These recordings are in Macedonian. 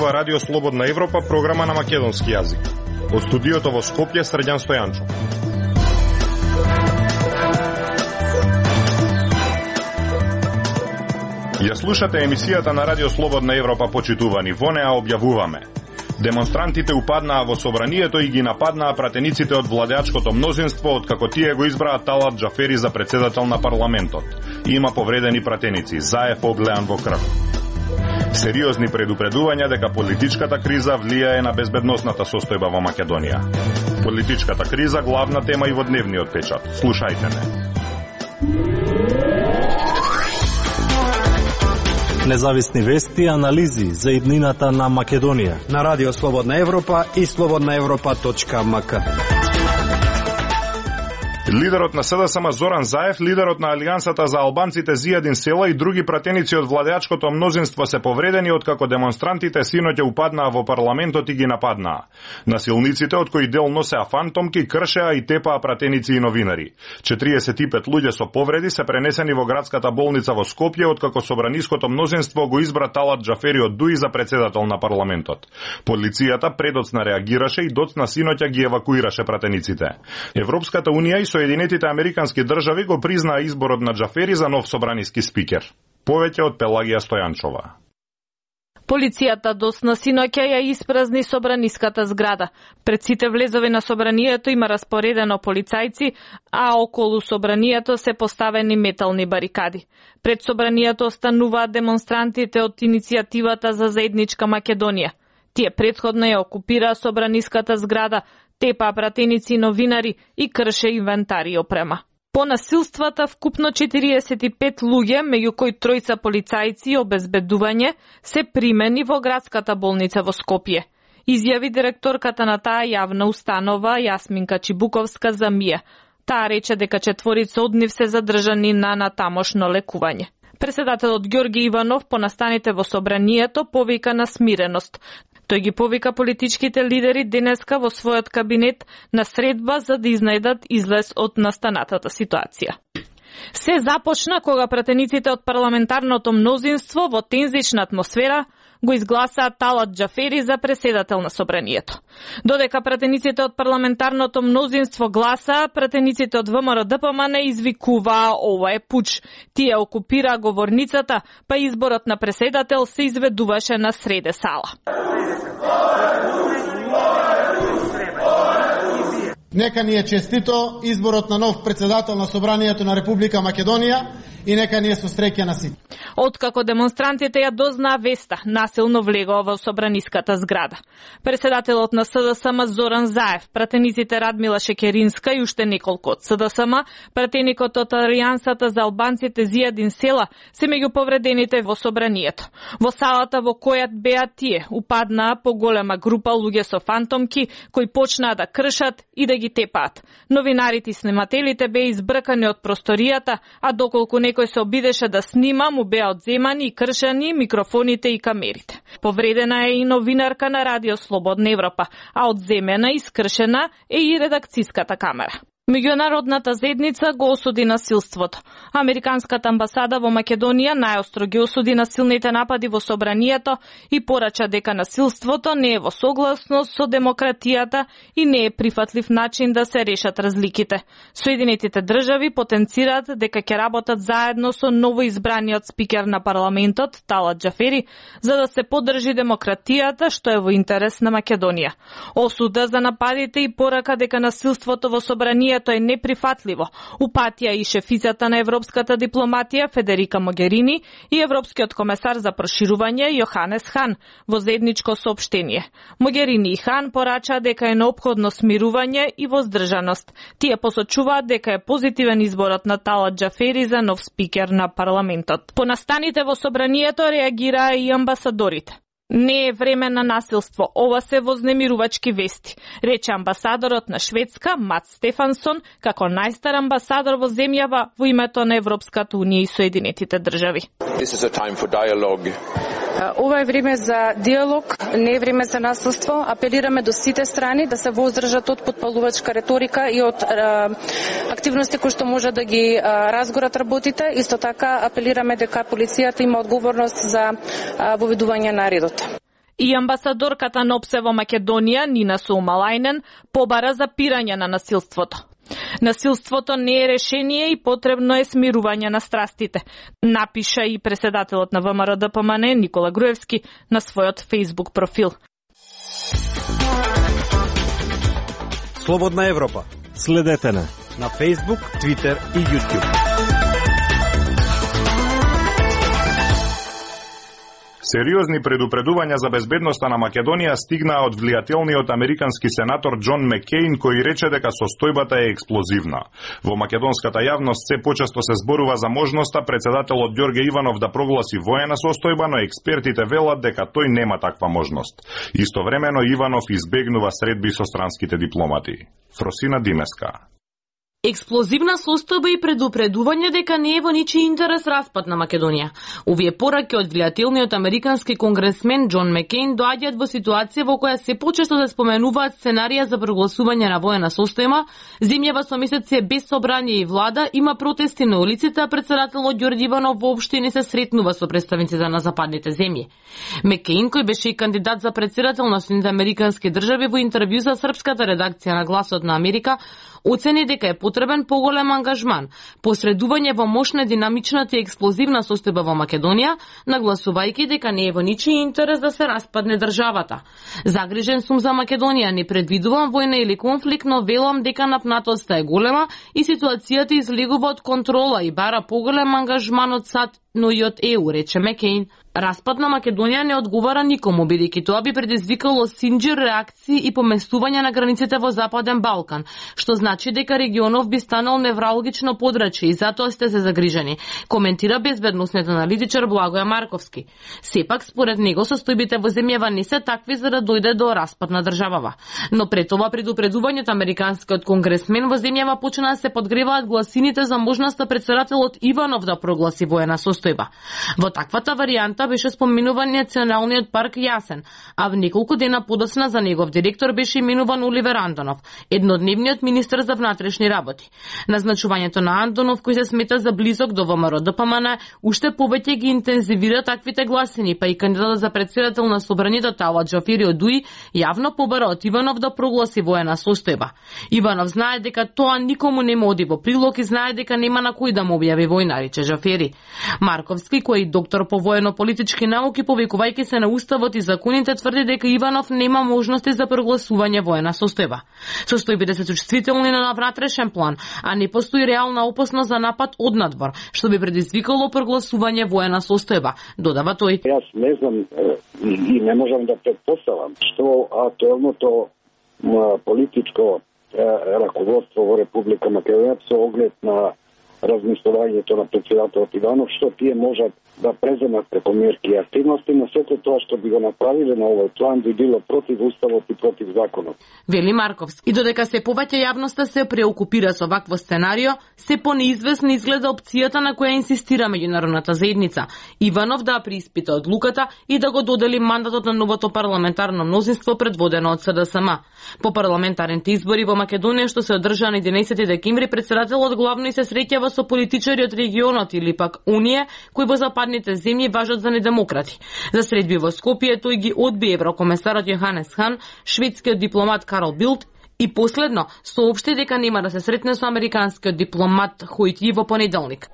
слушнува Радио Слободна Европа, програма на македонски јазик. Од студиото во Скопје, Срđan Стојанчов. Ја слушате емисијата на Радио Слободна Европа, почитувани. Во неа објавуваме: демонстрантите упаднаа во собранието и ги нападнаа пратениците од владеачкото мнозинство, откако тие го избраа Талат Џафери за председател на парламентот. Има повредени пратеници, Заев облеан во крв. Сериозни предупредувања дека политичката криза влијае на безбедносната состојба во Македонија. Политичката криза главна тема и во дневниот печат. Слушајте ме. Независни вести и анализи за иднината на Македонија на Радио Слободна Европа и slobodnaevropa.mk. Лидерот на СДСМ Зоран Заев, лидерот на Алијансата за албанците Зијадин Села и други пратеници од владеачкото мнозинство се повредени откако демонстрантите синоќа упаднаа во парламентот и ги нападнаа. Насилниците, од кои дел носеа фантомки, кршеа и тепаа пратеници и новинари. 45 луѓе со повреди се пренесени во градската болница во Скопје откако собраниското мнозинство го избра Талат Џафери од ДУИ за председател на парламентот. Полицијата предоцна реагираше и доцна синоќа ги евакуираше пратениците. Европската унија и Соединетите американски држави го признаа изборот на Џафери за нов собраниски спикер. Повеќе од Пелагија Стојанчова. Полицијата досна синоќа ја испразни собраниската зграда. Пред сите влезови на собранието има распоредено полицајци, а околу собранието се поставени метални барикади. Пред собранието остануваат демонстрантите од иницијативата за заедничка Македонија. Тие претходно ја окупираа собраниската зграда, тепаа пратеници, новинари и крше инвентари и опрема. По насилствата вкупно 45 луѓе, меѓу кои тројца полицајци и обезбедување, се примени во градската болница во Скопје. Изјави директорката на таа јавна установа Јасминка Чибуковска за МИА. Таа рече дека 4 од нив се задржани на тамошно лекување. Председателот Ѓорги Иванов по настаните во собранието повика на смиреност. Тој ги повика политичките лидери денеска во својот кабинет на средба за да изнајдат излез од настанатата ситуација. Се започна кога пратениците од парламентарното мнозинство во тензична атмосфера го изгласаа Талат Џафери за председател на собранието. Додека пратениците од парламентарното мнозинство гласаа, пратениците од ВМРО-ДПМН извикуваа ова е пуч. Тие окупираа говорницата, па изборот на председател се изведуваше на среде сала. Нека ни е честито изборот на нов председател на Собранието на Република Македонија и нека ни е со среќа на сите. Откако демонстрантите ја дознаа веста, насилно влегоа во собраниската зграда. Председателот на СДСМ Зоран Заев, пратениците Радмила Шекеринска и уште неколку од СДСМ, пратеникот од Алијансата за албанците Зијадин Села се меѓу повредените во собранието. Во салата во која беа тие упаднаа поголема група луѓе со фантомки кои почнаа да кршат и да ги тепаат. Новинарите и снимателите беа избркани од просторијата, а доколку некој се обидеше да снима, му беа одземани и кршени микрофоните и камерите. Повредена е и новинарка на Радио Слободна Европа, а одземена и скршена е и редакцијската камера. Меѓународната заедница го осуди насилството. Американската амбасада во Македонија најостро ги осуди насилните напади во собранието и порача дека насилството не е во согласност со демократијата и не е прифатлив начин да се решат разликите. Соединетите држави потенцираат дека ќе работат заедно со новоизбраниот спикер на парламентот Талат Џафери за да се поддржи демократијата што е во интерес на Македонија. Осуда за нападите и порака дека насилството во собранието е неприфатливо упатија и шефицата на европската дипломатија Федерика Могерини и европскиот комесар за проширување Јоханес Хан во заедничко соопштение. Могерини и Хан порачаа дека е неопходно смирување и воздржаност. Тие посочуваат дека е позитивен изборот на Талат Џафери за нов спикер на парламентот. По настаните во собранието реагираа и амбасадорите. Не е време на насилство, ова се вознемирувачки вести, рече амбасадорот на Шведска Мац Стефансон, како најстар амбасадор во земјава во името на Европската унија и Соединетите држави. Ова е време за диалог, не е време за насилство. Апелираме до сите страни да се воздржат од потпалувачка реторика и од активности кои што може да ги разгорат работите. Исто така апелираме дека полицијата има одговорност за воведување на редот. И амбасадорката на ОПСЕ во Македонија, Нина Саумалајнен, побара за пирање на насилството. Насилството не е решение и потребно е смирување на страстите, напиша и председателот на ВМРО ДПМН Никола Груевски на својот Facebook профил. Слободна Европа. Следете на Facebook, Twitter и YouTube. Сериозни предупредувања за безбедноста на Македонија стигнаа од влијателниот американски сенатор Џон Маккеин, кој рече дека состојбата е експлозивна. Во македонската јавност се почесто се зборува за можноста председателот Ѓорѓе Иванов да прогласи воена состојба, но експертите велат дека тој нема таква можност. Истовремено Иванов избегнува средби со странските дипломати. Фросина Димеска. Експлозивна состојба и предупредување дека не е во ничи интерес распад на Македонија. Овие пораки од влијателниот американски конгресмен Џон Маккеин доаѓаат во ситуација во која се почесто се споменуваат сценарија за прогласување на воена состојба, земјава со месеци без собрание и влада, има протести на улиците, а председателот Ѓорѓе Иванов воопшто не се сретнува со представниците на западните земји. Маккеин, кој беше и кандидат за председател на Соединетите американски држави, во интервју за српската редакција на Гласот на Америка, оцени дека е потребен поголем ангажман, посредување во мощна, динамичната и експлозивна состојба во Македонија, нагласувајќи дека не е во ничи интерес да се распадне државата. Загрижен сум за Македонија, не предвидувам војна или конфликт, но велам дека напнатоста е голема и ситуацијата излегува од контрола и бара поголем ангажман од САД, но и од ЕУ, рече Маккеин. Распад на Македонија не одговара никому, бидејќи тоа би предизвикало синџир реакции и поместување на границите во Западен Балкан, што значи дека регионов би станал невралгично подрачје и затоа сте се загрижени, коментира безбедносниот аналитичар Благоја Марковски. Сепак, според него, состојбите во земјава не се такви за да дојде до распад на државава. Но пред ова предупредувањето американскиот конгресмен во земјава почна да се подгреваат гласините за можноста председателот Иванов да прогласи воена состојба. Во таквата варијанта беше споменуван Националниот парк Јасен, а в неколку дена подоцна за негов директор беше именуван Оливер Андонов, еднодневниот министер за внатрешни работи. Назначувањето на Андонов, кој се смета за близок до ВМРО ДПМН, уште повеќе ги интензивира таквите гласини, па и кандидатот за председател на собранието Талат Џафери од УИ јавно побара од Иванов да прогласи воена состојба. Иванов знае дека тоа никому не му оди во прилог и знае дека нема на кој да му објави војна, рече Џафери. Марковски, кој е доктор по воено-политички науки, повикувајќи се на уставот и законите, тврди дека Иванов нема можности за прогласување воена состојба. Состојбите се чувствителни на внатрешен план, а не постои реална опасност за напад од надвор, што би предизвикало прогласување воена состојба, додава тој. Јас не знам и не можам да претпоставам што актуелното политичко раководство во Република Македонија со оглед на размислувањето на председателот Иванов, што тие можат да преземат преку мерки и активности, но сето тоа што би го направиле на овој план би било против уставот и против законот. Вели Марковски. И додека се повеќе јавноста се преокупира со вакво сценарио, се понеизвестна изгледа опцијата на која инсистира меѓународната заедница. Иванов да прииспита одлуката и да го додели мандатот на новото парламентарно мнозинство предводено од СДСМ. По парламентарните избори во Македонија што се одржаа на 11 декември, председателот главно и се среќава со политичари од регионот или пак Унија, кои во западните земји важат за недемократи. За средби во Скопје тој ги одби еврокомесарот Јоханес Хан, шведскиот дипломат Карл Билд и последно соопшти дека нема да се сретне со американскиот дипломат Хојти во понеделник.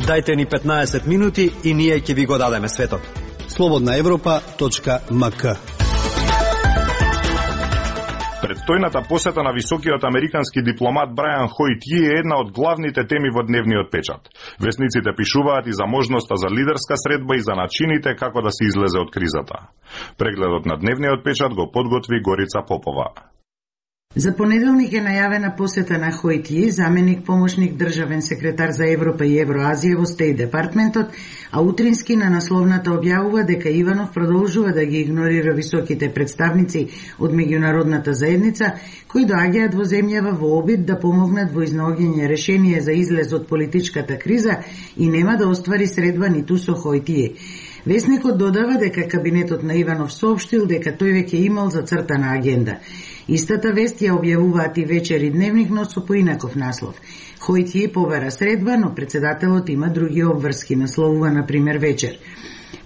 Дајте ни 15 минути и ние ќе ви го дадеме светот. slobodnaevropa.mk. Предстојната посета на високиот американски дипломат Брајан Хојти е една од главните теми во дневниот печат. Весниците пишуваат и за можноста за лидерска средба и за начините како да се излезе од кризата. Прегледот на дневниот печат го подготви Горица Попова. За понеделник е најавена посета на Хојти, заменик помошник државен секретар за Европа и Евроазија во Стејт департментот, а утрински на насловната објавува дека Иванов продолжува да ги игнорира високите представници од меѓународната заедница, кои доаѓаат во земјава во обид да помогнат во изнаоѓање решение за излез од политичката криза и нема да оствари средба ниту со Хојтие. Весникот додава дека кабинетот на Иванов соопштил дека тој веќе имал зацртана агенда. Истата вест ја објавуваат и Вечер и Дневник, но со поинаков наслов. Хојти побара средба, но председателот има други обврски, насловува например Вечер.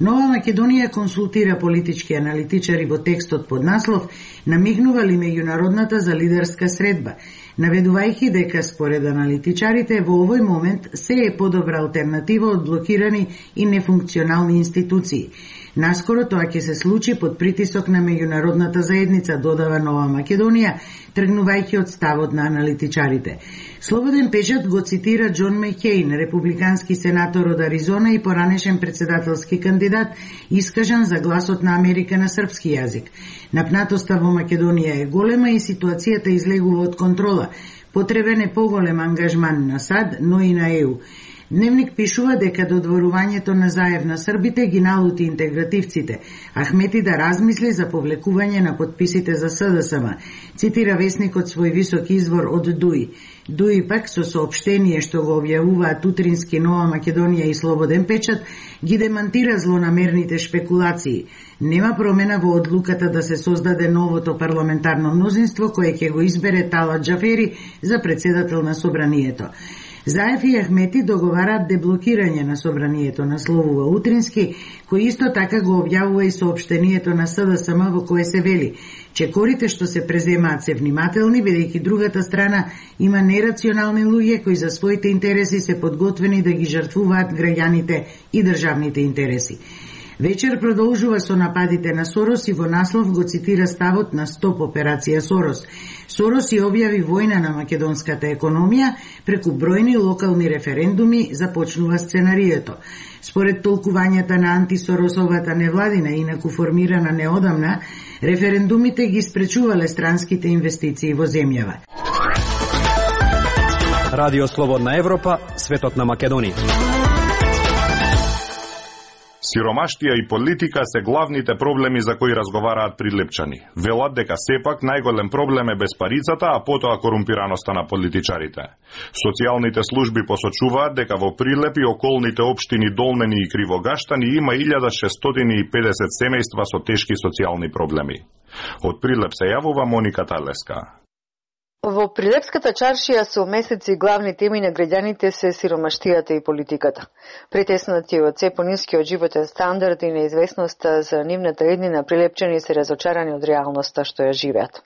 Нова Македонија консултира политички аналитичари во текстот под наслов "Намигнува ли меѓународната за лидерска средба", наведувајќи дека според аналитичарите во овој момент се е подобра алтернатива од блокирани и нефункционални институции. Наскоро тоа ќе се случи под притисок на меѓународната заедница, додава Нова Македонија, тргнувајќи од ставот на аналитичарите. Слободен печат го цитира Џон Мекејн, републикански сенатор од Аризона и поранешен председателски кандидат, искажан за гласот на Америка на српски јазик. Напнатоста во Македонија е голема и ситуацијата излегува од контрола. Потребен е поголем ангажман на САД, но и на ЕУ. Дневник пишува дека додворувањето на Заев на србите ги налути интегративците. Ахмети да размисли за повлекување на подписите за СДСМ. Цитира весникот свој висок извор од ДУИ. ДУИ пак со соопштение што го објавуваат утрински Нова Македонија и Слободен печат ги демантира злонамерните шпекулации. Нема промена во одлуката да се создаде новото парламентарно мнозинство кое ќе го избере Талат Џафери за председател на собранието. Заев и Ахмети договараат деблокирање на собранието, насловува утрински, кој исто така го објавува и соопштението на СДСМ во кое се вели: чекорите што се преземаат се внимателни, бидејќи другата страна има нерационални луѓе кои за своите интереси се подготвени да ги жртвуваат граѓаните и државните интереси. Вечер продолжува со нападите на Сорос и во наслов го цитира ставот на Стоп операција Сорос. Сорос ја објави војна на македонската економија, преку бројни локални референдуми започнува сценарието. Според толкувањата на антисоросовата невладина, инаку формирана неодамна, референдумите ги спречувале странските инвестиции во земјава. Радио Слободна Европа, светот на Македонија. Сиромаштија и политика се главните проблеми за кои разговараат прилепчани. Велат дека сепак најголем проблем е безпарицата, а потоа корумпираноста на политичарите. Социјалните служби посочуваат дека во Прилеп и околните општини Долнени и Кривогаштани има 1650 семејства со тешки социјални проблеми. Од Прилеп се јавува Моника Талеска. Во Прилепската чаршија со месеци главни теми на граѓаните се сиромаштијата и политиката. Притеснати од се понискиот животен стандард и неизвестноста за нивната еднина, прилепчани се разочарани од реалноста што ја живеат.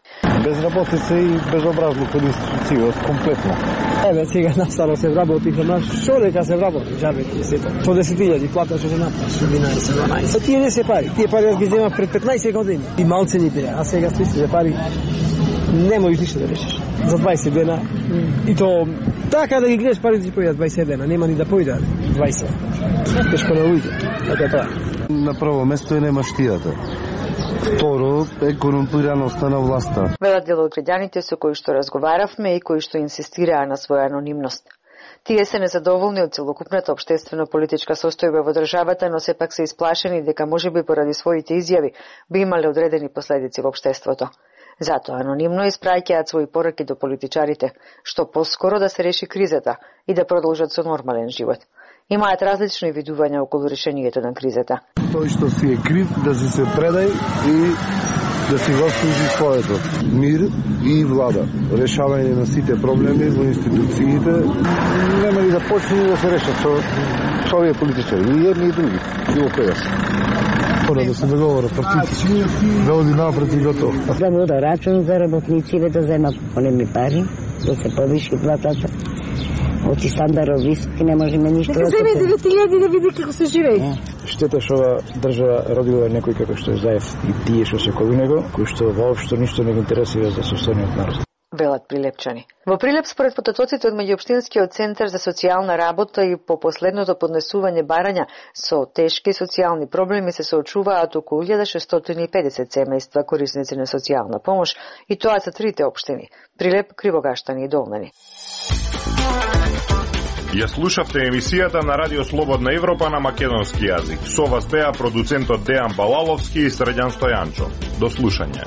Безработица и безобразлук од институцијот комплетно. Еве сега настало се вработи на што дека се вработи, жабети сето. По 10.000 плата што се направи, 11-12. Тие не се пари. Тие пари јас ги земав пред 15 години. И малцени беа, а сега се пари. Не можеш ништо да решиш. За 20 дена. И то така да ги гледаш пари да појдат 20 дена, нема ни да појдат 20. Тешко на ујде. Така тоа. На прво место е немаштијата. Второ е корумпираноста на власта. Велат дел од граѓаните со кои што разговаравме и кои што инсистираа на своја анонимност. Тие се незадоволни од целокупната општествено-политичка состојба во државата, но сепак се исплашени дека можеби поради своите изјави би имале одредени последици во општеството. Затоа анонимно испраќаат своји пораки до политичарите, што поскоро да се реши кризата и да продолжат со нормален живот. Имаат различни видувања околу решението на кризата. Тој што си е крив да се предај и да си заслужи своето. Мир и влада. Решавање на сите проблеми во институциите нема ли да почне да се решат со овие политичари, и едни и други, било кој јас. Мора да се договора партици, да оди напред и готово. Да вода рачун за работниците, да зема големи пари, да се повиши платата. Оти стандард високи, не можеме ништо. Да земе 9.000 да види како се живее. Штета што ова држава родила некој како што е Заев и тие што се околу него, кои што воопшто ништо не ги интересира за состојниот народ. Велат прилепчани. Во Прилеп, според потоците од меѓуопштинскиот центар за социјална работа и по последното поднесување барања со тешки социјални проблеми се соочуваат околу 1650 семејства корисници на социјална помош, и тоа за трите општини: Прилеп, Кривогаштани и Долнени. Ја слушавте емисијата на Радио Слободна Европа на македонски јазик. Со вас беа продуцентот Дејан Балаловски и Срđan Стојанчо. До слушање.